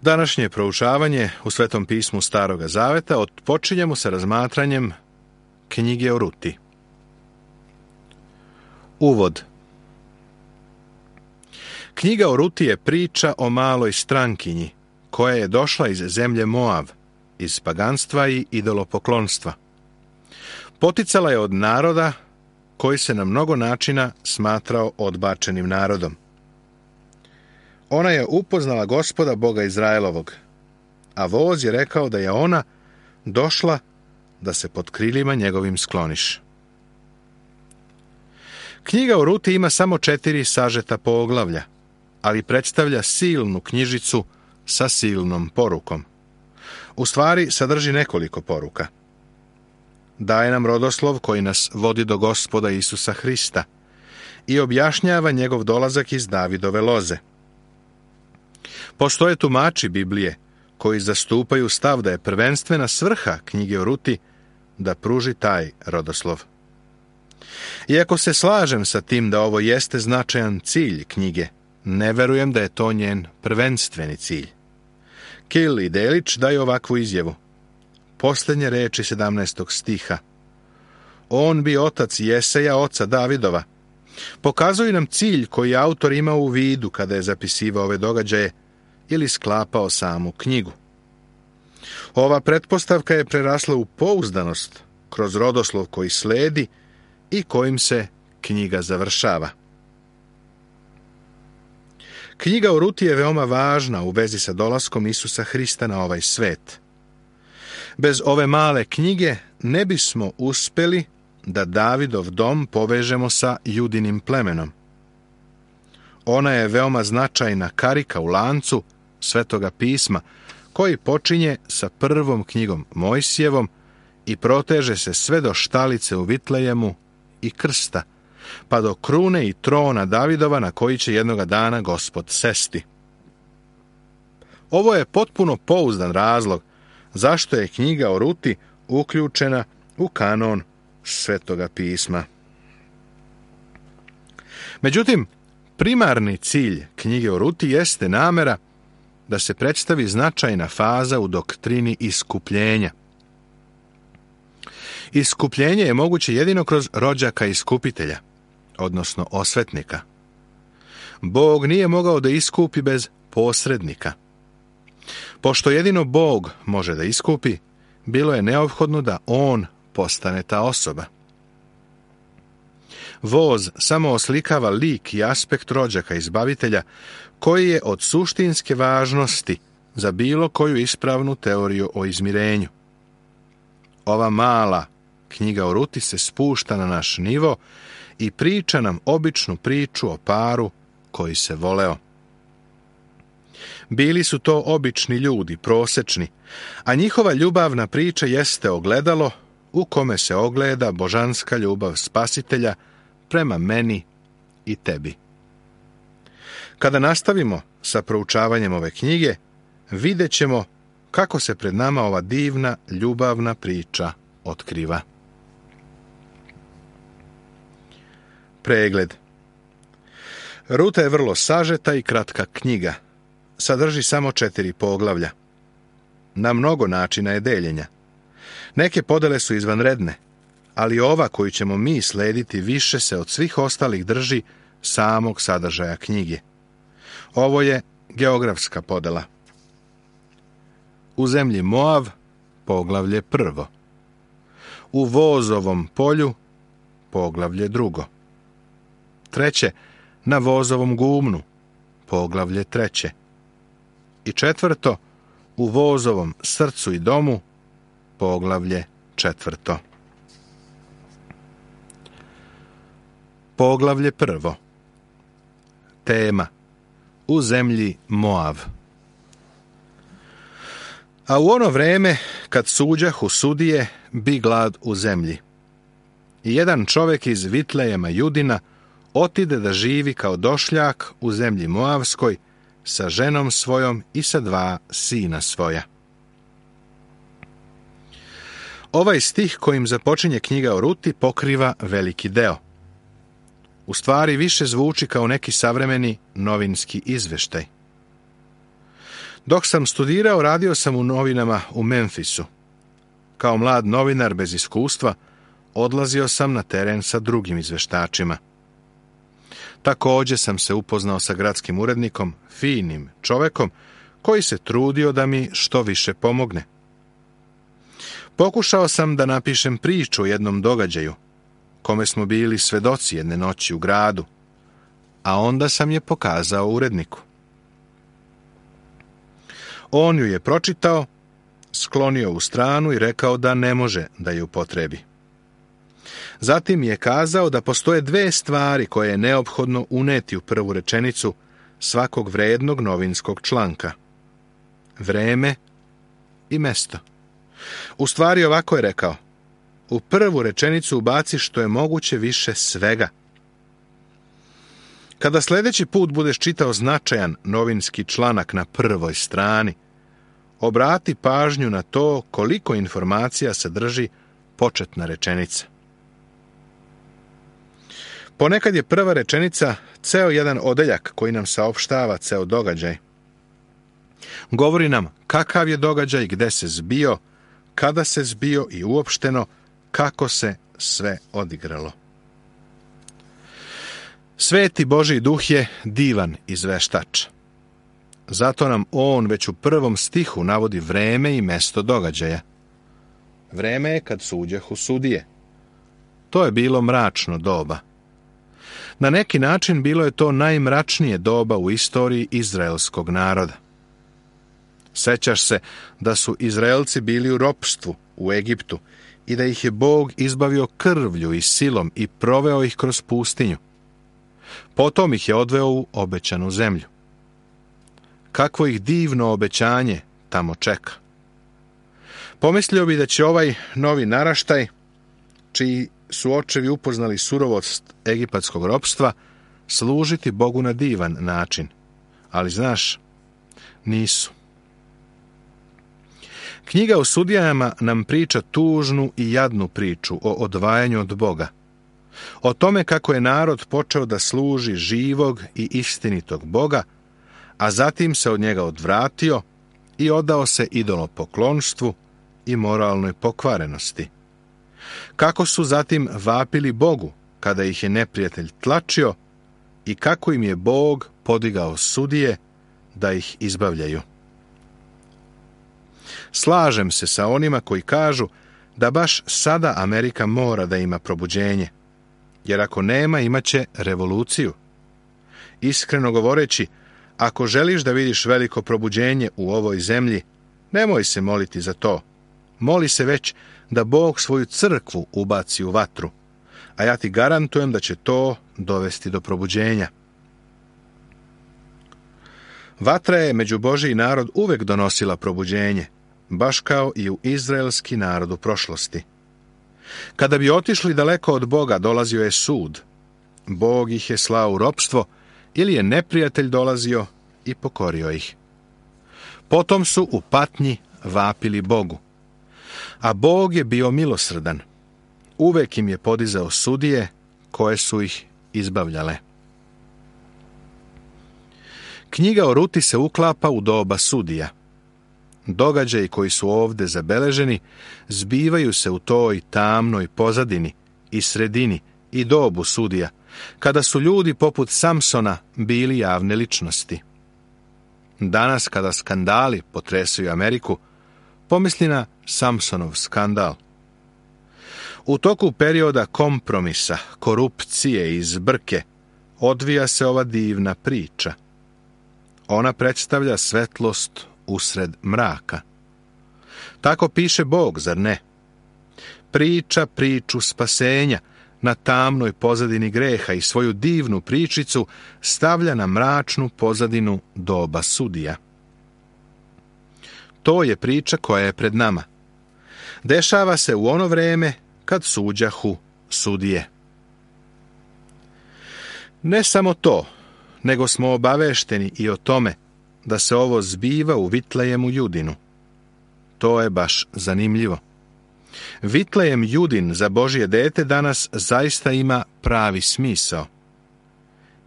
Današnje proučavanje u Svetom pismu Staroga Zaveta otpočinjemo sa razmatranjem knjige o Ruti. Uvod. Knjiga o Ruti je priča o maloj strankinji koja je došla iz zemlje Moav, iz paganstva i idolopoklonstva. Poticala je od naroda koji se na mnogo načina smatrao odbačenim narodom. Ona je upoznala Gospoda Boga Izraelovog, a voz je rekao da je ona došla da se pod krilima njegovim skloniš. Knjiga o Ruti ima samo 4 sažeta poglavlja, ali predstavlja silnu knjižicu sa silnom porukom. U stvari sadrži nekoliko poruka. Daje nam rodoslov koji nas vodi do Gospoda Isusa Hrista i objašnjava njegov dolazak iz Davidove loze. Postoje tumači Biblije koji zastupaju stav da je prvenstvena svrha knjige o Ruti da pruži taj rodoslov. Iako se slažem sa tim da ovo jeste značajan cilj knjige, ne verujem da je to njen prvenstveni cilj. Kill i Delić daju ovakvu izjavu. Posljednje reči 17. stiha. On bi otac Jeseja, oca Davidova. Pokazuju nam cilj koji autor imao u vidu kada je zapisivao ove događaje ili sklapao samu knjigu. Ova pretpostavka je prerasla u pouzdanost kroz rodoslov koji sledi i kojim se knjiga završava. Knjiga o Ruti je veoma važna u vezi sa dolaskom Isusa Hrista na ovaj svet. Bez ove male knjige ne bismo uspjeli da Davidov dom povežemo sa Judinim plemenom. Ona je veoma značajna karika u lancu Svetoga pisma, koji počinje sa prvom knjigom Mojsijevom i proteže se sve do štalice u Vitlejemu i krsta, pa do krune i trona Davidova na koji će jednoga dana Gospod sesti. Ovo je potpuno pouzdan razlog zašto je knjiga o Ruti uključena u kanon Svetoga pisma. Međutim, primarni cilj knjige o Ruti jeste namera da se predstavi značajna faza u doktrini iskupljenja. Iskupljenje je moguće jedino kroz rođaka iskupitelja, odnosno osvetnika. Bog nije mogao da iskupi bez posrednika. Pošto jedino Bog može da iskupi, bilo je neophodno da on postane ta osoba. Voz samo oslikava lik i aspekt rođaka izbavitelja koji je od suštinske važnosti za bilo koju ispravnu teoriju o izmirenju. Ova mala knjiga o Ruti se spušta na naš nivo i priča nam običnu priču o paru koji se voleo. Bili su to obični ljudi, prosečni, a njihova ljubavna priča jeste ogledalo u kome se ogleda božanska ljubav Spasitelja prema meni i tebi. Kada nastavimo sa proučavanjem ove knjige, vidjet ćemo kako se pred nama ova divna ljubavna priča otkriva. Pregled. Ruta je vrlo sažeta i kratka knjiga. Sadrži samo 4 poglavlja. Na mnogo načina je deljenja. Neke podele su izvanredne, ali ova koju ćemo mi slediti više se od svih ostalih drži samog sadržaja knjige. Ovo je geografska podela. U zemlji Moav, poglavlje 1. U Vozovom polju, poglavlje 2. 3. Na Vozovom gumnu, poglavlje 3. I 4. U Vozovom srcu i domu, poglavlje 4. Poglavlje 1. Tema. U zemlji Moav. A u ono vreme, kad suđahu sudije, bi glad u zemlji. I jedan čovjek iz Vitlejema Judina otide da živi kao došljak u zemlji Moavskoj sa ženom svojom i sa 2 sina svoja. Ovaj stih kojim započinje knjiga o Ruti pokriva veliki deo. U stvari više zvuči kao neki savremeni novinski izveštaj. Dok sam studirao, radio sam u novinama u Memphisu. Kao mlad novinar bez iskustva, odlazio sam na teren sa drugim izveštačima. Također sam se upoznao sa gradskim urednikom, finim čovekom, koji se trudio da mi što više pomogne. Pokušao sam da napišem priču o jednom događaju, kome smo bili svedoci jedne noći u gradu, a onda sam je pokazao uredniku. On ju je pročitao, sklonio u stranu i rekao da ne može da ju upotrebi. Zatim je kazao da postoje dve stvari koje je neophodno uneti u prvu rečenicu svakog vrednog novinskog članka: vreme i mesto. U stvari ovako je rekao: u prvu rečenicu ubaci što je moguće više svega. Kada sljedeći put budeš čitao značajan novinski članak na prvoj strani, obrati pažnju na to koliko informacija sadrži početna rečenica. Ponekad je prva rečenica ceo jedan odeljak koji nam saopštava ceo događaj. Govori nam kakav je događaj, gde se zbio, kada se zbio i uopšteno kako se sve odigralo. Sveti Božji duh je divan izveštač. Zato nam on već u prvom stihu navodi vreme i mesto događaja. Vreme je kad suđehu sudije. To je bilo mračno doba. Na neki način bilo je to najmračnije doba u istoriji izraelskog naroda. Sećaš se da su Izraelci bili u ropstvu u Egiptu i da ih je Bog izbavio krvlju i silom i proveo ih kroz pustinju. Potom ih je odveo u obećanu zemlju. Kakvo ih divno obećanje tamo čeka. Pomislio bi da će ovaj novi naraštaj, čiji su očevi upoznali surovost egipatskog ropstva, služiti Bogu na divan način. Ali znaš, nisu. Knjiga o sudijama nam priča tužnu i jadnu priču o odvajanju od Boga. O tome kako je narod počeo da služi živog i istinitog Boga, a zatim se od njega odvratio i odao se idolopoklonstvu i moralnoj pokvarenosti. Kako su zatim vapili Bogu kada ih je neprijatelj tlačio i kako im je Bog podigao sudije da ih izbavljaju. Slažem se sa onima koji kažu da baš sada Amerika mora da ima probuđenje, jer ako nema, imaće revoluciju. Iskreno govoreći, ako želiš da vidiš veliko probuđenje u ovoj zemlji, nemoj se moliti za to. Moli se već da Bog svoju crkvu ubaci u vatru, a ja ti garantujem da će to dovesti do probuđenja. Vatra je među Božji narod uvek donosila probuđenje, baš kao i u izraelski narod u prošlosti. Kada bi otišli daleko od Boga, dolazio je sud. Bog ih je slao u ropstvo ili je neprijatelj dolazio i pokorio ih. Potom su u patnji vapili Bogu. A Bog je bio milosrdan. Uvek im je podizao sudije koje su ih izbavljale. Knjiga o Ruti se uklapa u doba sudija. Događaji koji su ovde zabeleženi zbivaju se u toj tamnoj pozadini i sredini i dobu sudija, kada su ljudi poput Samsona bili javne ličnosti. Danas, kada skandali potresaju Ameriku, pomisli na Samsonov skandal. U toku perioda kompromisa, korupcije i zbrke odvija se ova divna priča. Ona predstavlja svetlost usred mraka. Tako piše Bog, zar ne? Priča priču spasenja na tamnoj pozadini greha i svoju divnu pričicu stavlja na mračnu pozadinu doba sudija. To je priča koja je pred nama. Dešava se u ono vreme kad suđahu sudije. Ne samo to, nego smo obavešteni i o tome da se ovo zbiva u Vitlejemu Judinu. To je baš zanimljivo. Vitlejem Judin za Božje dete danas zaista ima pravi smisao.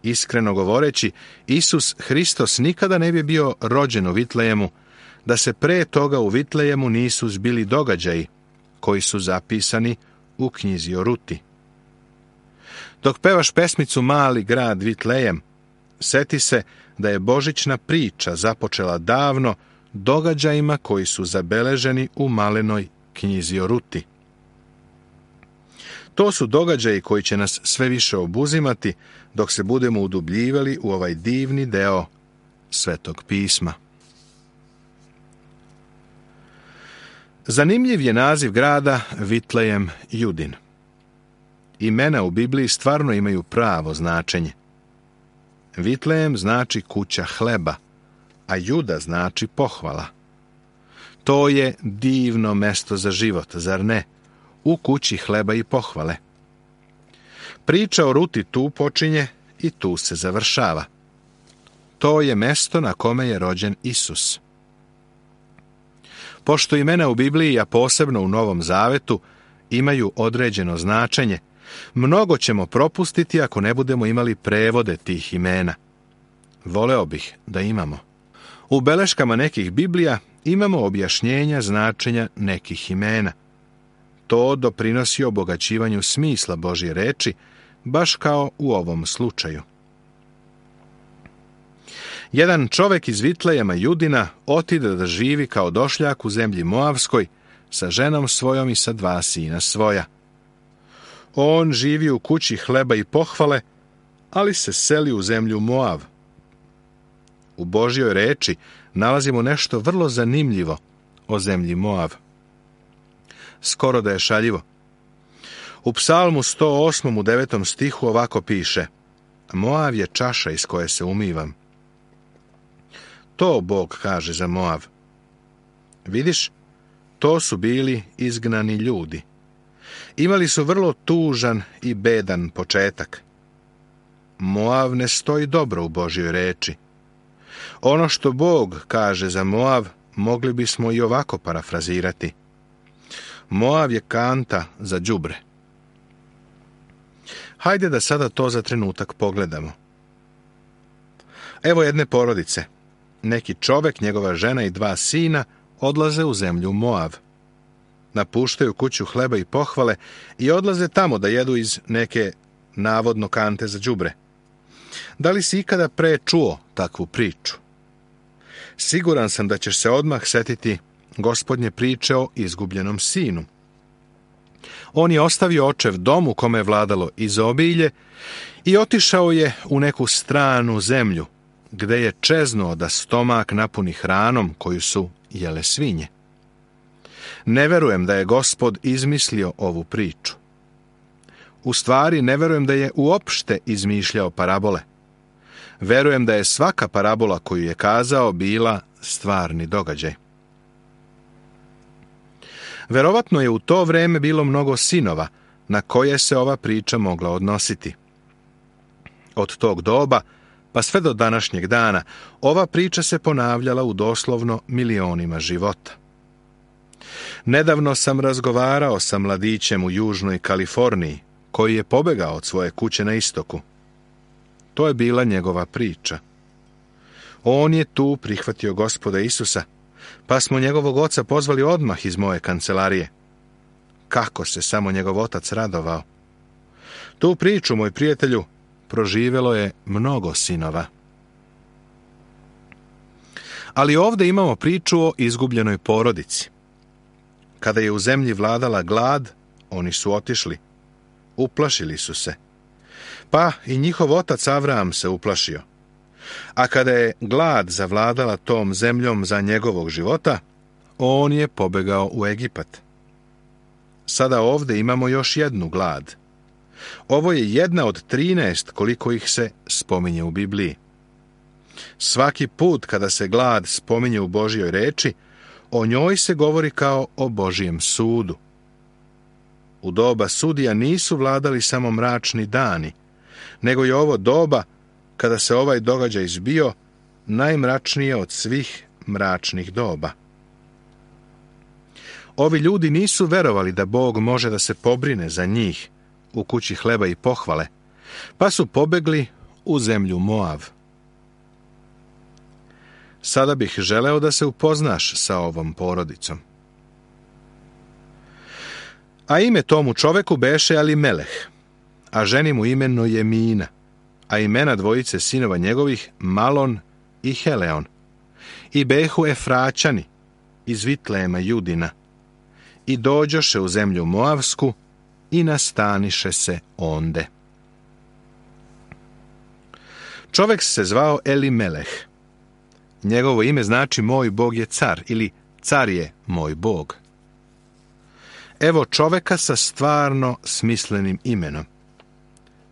Iskreno govoreći, Isus Hristos nikada ne bi bio rođen u Vitlejemu, da se pre toga u Vitlejemu nisu zbili događaji koji su zapisani u knjizi o Ruti. Dok pevaš pesmicu Mali grad Vitlejem, seti se da je božićna priča započela davno događajima koji su zabeleženi u malenoj knjizi o Ruti. To su događaji koji će nas sve više obuzimati dok se budemo udubljivali u ovaj divni deo Svetog pisma. Zanimljiv je naziv grada Vitlejem Judin. Imena u Bibliji stvarno imaju pravo značenje. Vitlejem znači kuća hleba, a Juda znači pohvala. To je divno mesto za život, zar ne? U kući hleba i pohvale. Priča o Ruti tu počinje i tu se završava. To je mesto na kome je rođen Isus. Pošto imena u Bibliji, a posebno u Novom Zavetu, imaju određeno značenje, mnogo ćemo propustiti ako ne budemo imali prevode tih imena. Voleo bih da imamo. U beleškama nekih Biblija imamo objašnjenja značenja nekih imena. To doprinosi obogaćivanju smisla Božje reči, baš kao u ovom slučaju. Jedan čovek iz Vitlejema Judina otide da živi kao došljak u zemlji Moavskoj sa ženom svojom i sa 2 sina svoja. On živi u kući hleba i pohvale, ali se seli u zemlju Moav. U Božjoj reči nalazimo nešto vrlo zanimljivo o zemlji Moav. Skoro da je šaljivo. U Psalmu 108. u 9. stihu ovako piše: Moav je čaša iz koje se umivam. To Bog kaže za Moav. Vidiš, to su bili izgnani ljudi. Imali su vrlo tužan i bedan početak. Moav ne stoji dobro u Božjoj reči. Ono što Bog kaže za Moav mogli bismo i ovako parafrazirati: Moav je kanta za đubre. Hajde da sada to za trenutak pogledamo. Evo jedne porodice. Neki čovek, njegova žena i 2 sina odlaze u zemlju Moav. Napuštaju kuću hleba i pohvale i odlaze tamo da jedu iz neke navodno kante za đubre. Da li si ikada pre čuo takvu priču? Siguran sam da ćeš se odmah setiti Gospodnje priče o izgubljenom sinu. On je ostavio očev dom u kome je vladalo izobilje i otišao je u neku stranu zemlju, gde je čeznuo da stomak napuni hranom koju su jele svinje. Ne verujem da je Gospod izmislio ovu priču. U stvari, ne verujem da je uopšte izmišljao parabole. Verujem da je svaka parabola koju je kazao bila stvarni događaj. Verovatno je u to vreme bilo mnogo sinova na koje se ova priča mogla odnositi. Od tog doba pa sve do današnjeg dana ova priča se ponavljala u doslovno milionima života. Nedavno sam razgovarao sa mladićem u Južnoj Kaliforniji koji je pobegao od svoje kuće na istoku. To je bila njegova priča. On je tu prihvatio Gospoda Isusa, pa smo njegovog oca pozvali odmah iz moje kancelarije. Kako se samo njegov otac radovao. Tu priču, moj prijatelju, proživelo je mnogo sinova. Ali ovdje imamo priču o izgubljenoj porodici. Kada je u zemlji vladala glad, oni su otišli. Uplašili su se. Pa i njihov otac Avram se uplašio. A kada je glad zavladala tom zemljom za njegovog života, on je pobegao u Egipat. Sada ovdje imamo još jednu glad. Ovo je jedna od 13 koliko ih se spominje u Bibliji. Svaki put kada se glad spominje u Božjoj reči, o njoj se govori kao o Božjem sudu. U doba sudija nisu vladali samo mračni dani, nego je ovo doba, kada se ovaj događaj zbio, najmračnije od svih mračnih doba. Ovi ljudi nisu verovali da Bog može da se pobrine za njih u kući hleba i pohvale, pa su pobegli u zemlju Moav. Sada bih želeo da se upoznaš sa ovom porodicom. A ime tomu čoveku beše Elimeleh, a ženi mu ime Nojemina, a imena dvojice sinova njegovih Malon i Heleon. I behu Efraćani iz Vitlema Judina, i dođoše u zemlju Moavsku i nastaniše se onde. Čovek se zvao Elimeleh. Njegovo ime znači moj Bog je car ili car je moj Bog. Evo čoveka sa stvarno smislenim imenom.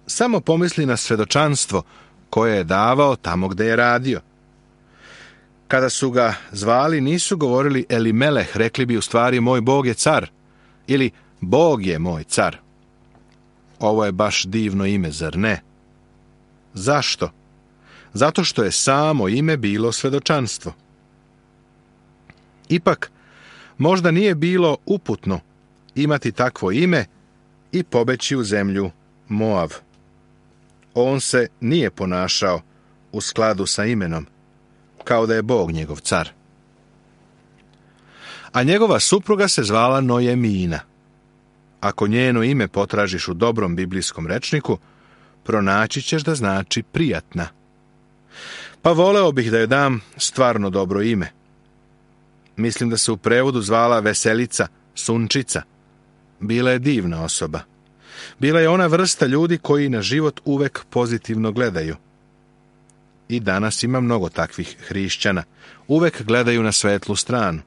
Samo pomisli na svedočanstvo koje je davao tamo gde je radio. Kada su ga zvali, nisu govorili Elimeleh, rekli bi u stvari moj Bog je car ili Bog je moj car. Ovo je baš divno ime, zar ne? Zašto? Zato što je samo ime bilo svedočanstvo. Ipak, možda nije bilo uputno imati takvo ime i pobeći u zemlju Moav. On se nije ponašao u skladu sa imenom, kao da je Bog njegov car. A njegova supruga se zvala Nojemina. Ako njeno ime potražiš u dobrom biblijskom rečniku, pronaći ćeš da znači prijatna. Pa voleo bih da joj dam stvarno dobro ime. Mislim da se u prevodu zvala Veselica, Sunčica. Bila je divna osoba. Bila je ona vrsta ljudi koji na život uvek pozitivno gledaju. I danas ima mnogo takvih hrišćana. Uvek gledaju na svetlu stranu.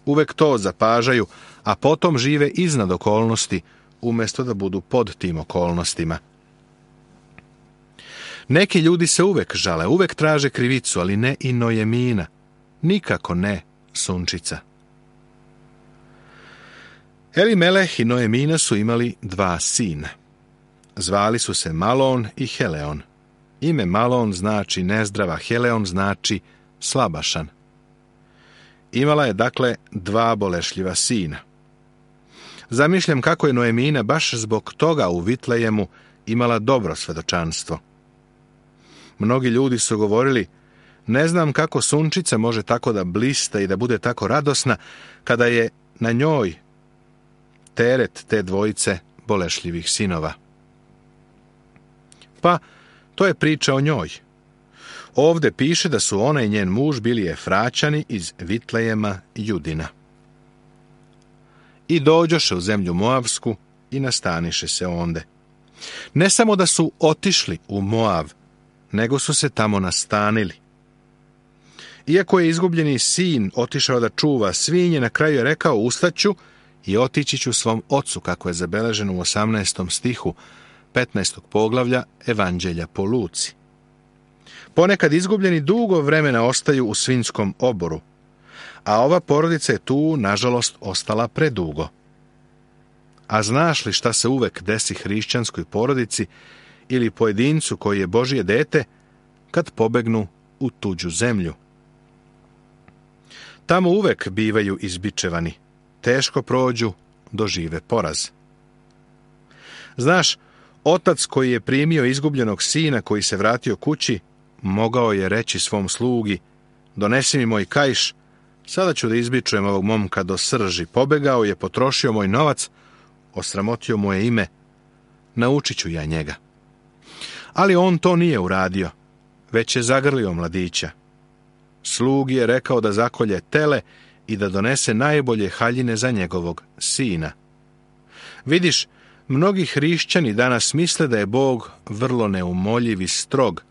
Uvek to zapažaju, a potom žive iznad okolnosti, umjesto da budu pod tim okolnostima. Neki ljudi se uvek žale, uvek traže krivicu, ali ne i Nojemina. Nikako ne Sunčica. Elimeleh i Nojemina su imali 2 sina. Zvali su se Malon i Heleon. Ime Malon znači nezdrava, Heleon znači slabašan. Imala je dakle 2 bolešljiva sina. Zamišljam kako je Nojemina baš zbog toga u Vitlejemu imala dobro svedočanstvo. Mnogi ljudi su govorili, ne znam kako Sunčica može tako da blista i da bude tako radosna kada je na njoj teret te dvojice bolešljivih sinova. Pa, to je priča o njoj. Ovde piše da su ona i njen muž bili Efraćani iz Vitlejema Judina. I dođoše u zemlju Moavsku i nastaniše se onde. Ne samo da su otišli u Moav, nego su se tamo nastanili. Iako je izgubljeni sin otišao da čuva svinje, na kraju je rekao, ustaću i otići ću svom ocu, kako je zabeleženo u 18. stihu 15. poglavlja Evanđelja po Luci. Ponekad izgubljeni dugo vremena ostaju u svinjskom oboru, a ova porodica je tu, nažalost, ostala predugo. A znaš li šta se uvek desi hrišćanskoj porodici ili pojedincu koji je Božje dete kad pobegnu u tuđu zemlju? Tamo uvek bivaju izbičevani, teško prođu, dožive poraz. Znaš, otac koji je primio izgubljenog sina koji se vratio kući, mogao je reći svom slugi, donesi mi moj kaiš, sada ću da izbičujem ovog momka do srži, pobegao je, potrošio moj novac, osramotio moje ime, naučit ću ja njega. Ali on to nije uradio, već je zagrlio mladića. Slugi je rekao da zakolje tele i da donese najbolje haljine za njegovog sina. Vidiš, mnogi hrišćani danas misle da je Bog vrlo neumoljiv i strog,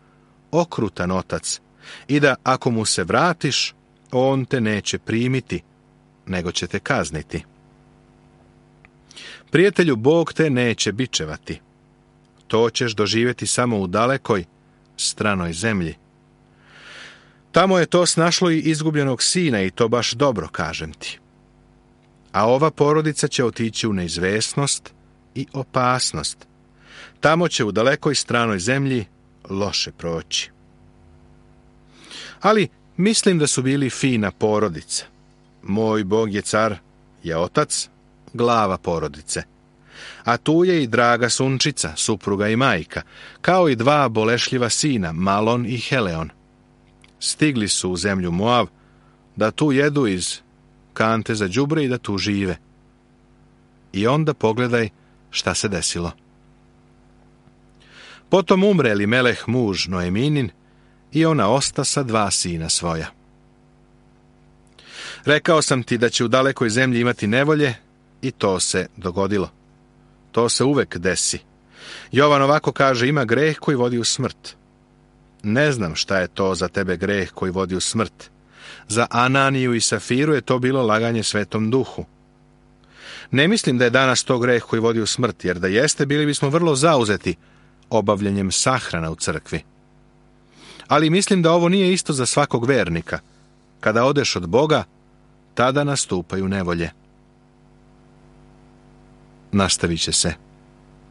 okrutan otac i da ako mu se vratiš, on te neće primiti, nego će te kazniti. Prijatelju, Bog te neće bičevati. To ćeš doživjeti samo u dalekoj, stranoj zemlji. Tamo je to snašlo i izgubljenog sina i to baš dobro, kažem ti. A ova porodica će otići u neizvesnost i opasnost. Tamo će u dalekoj stranoj zemlji loše proći. Ali mislim da su bili fina porodica. Moj Bog je car, je otac, glava porodice. A tu je i draga sunčica, supruga i majka, kao i 2 bolešljiva sina, Malon i Heleon. Stigli su u zemlju Moav, da tu jedu iz kante za đubre i da tu žive. I onda pogledaj šta se desilo. Potom umre Elimeleh muž Noeminin i ona osta sa 2 sina svoja. Rekao sam ti da će u dalekoj zemlji imati nevolje i to se dogodilo. To se uvek desi. Jovan ovako kaže, ima greh koji vodi u smrt. Ne znam šta je to za tebe greh koji vodi u smrt. Za Ananiju i Safiru je to bilo laganje Svetom Duhu. Ne mislim da je danas to greh koji vodi u smrt, jer da jeste, bili bismo vrlo zauzeti obavljanjem sahrana u crkvi. Ali mislim da ovo nije isto za svakog vernika. Kada odeš od Boga, tada nastupaju nevolje. Nastavit će se.